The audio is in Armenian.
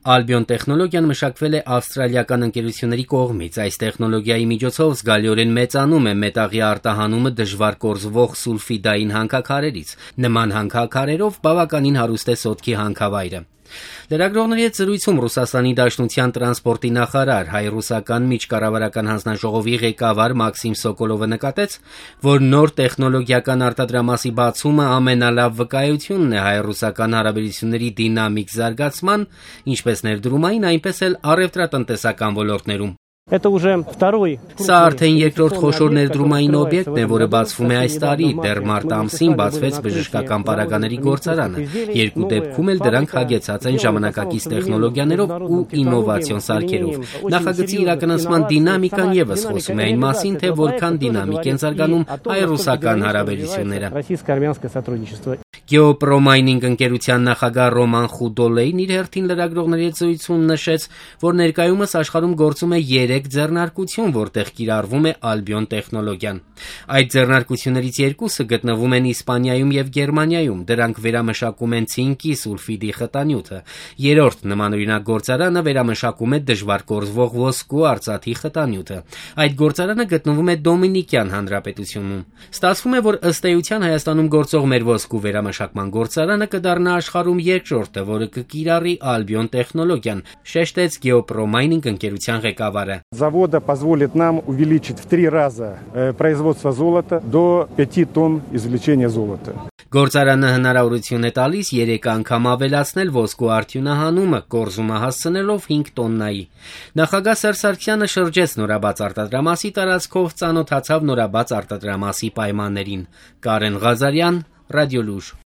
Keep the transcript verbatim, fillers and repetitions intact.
Albion տեխնոլոգիան մշակվել է ավստրալիական ընկերությունների կողմից։ Այս տեխնոլոգիայի միջոցով զգալիորեն մեծանում է մետաղի արտահանումը դժվար կորզվող սուլֆիդային հանքաքարերից։ Նման հանքաքարերով բավականին հարուստ է սոտքի հանքավայրը։ Լրագրողների հետ զրույցում Ռուսաստանի Դաշնության տրանսպորտի նախարար, հայ-ռուսական միջկառավարական հանձնաժողովի ղեկավար Մաքսիմ Սոկոլովը նկատեց, որ նոր տեխնոլոգիական արտադրամասի բացումը ամենալավ վկայությունն է հայ-ռուսական հարաբերությունների դինամիկ զարգացման, ինչպես ներդրումային, այնպես էլ առևտրատնտեսական ոլորտներում։ Սա արդեն երկրորդ խոշոր ներդրումային օբյեկտն է, որը բացվում է այս տարի։ Դեռ մարտ ամսին բացվեց բժշկական պարագաների գործարանը։ Երկու դեպքում էլ դրանք հագեցած են ժամանակակից տեխնոլոգիաներով ու ինովացիոն սարքերով։ Նախագծի իրականացման դինամիկան ևս խոսում է այն մասին, թե որքան դինամիկ են զարգանում հայ-ռուսական հարաբերությունները։ Գեոպրոմայնինգ ընկերության նախագահ Ռոման Խուդոլեյն իր հերթին լրագրողների հետ զրույցում նշեց, որ ներկայումս աշխարհում գործում է երեք ձեռնարկություն, որտեղ կիրառվում է Albion տեխնոլոգիան։ Այդ ձեռնարկություններից երկուսը գտնվում են Իսպանիայում եւ Գերմանիայում։ Դրանք վերամշակում են ցինկի սուլֆիդի խտանյութը։ Երրորդ նմանօրինակ գործարանը վերամշակում է դժվար կորզվող ոսկու արծաթի խտանյութը։ Այդ գործարանը գտնվում է Դոմինիկյան Հանրապետությունում։ Ստացվում է, որ ըստ էության Հայաստանում գործող մեր ոսկու վերամշակման գործարանը կդառնա աշխարհում երկրորդը, որը կկիրառի Albion տեխնոլոգիան, շեշտեց Գեոպրոմայնինգ ընկերության ղեկավարը։ Завода позволит нам увеличить в три раза производство золота до пяти тонн извлечения золота. Գործարանը հնարավորություն է տալիս երեք անգամ ավելացնել ոսկու արդյունահանումը, կորզումը հասցնելով հինգ տոննայի։ Նախագահ Սերժ Սարգսյանը շրջեց նորաբաց արտադրամասի տարածքով, ծանոթացավ նորաբաց արտադրամասի պայմաններին։ Կարեն Ղազարյան, Ռադիոլուր։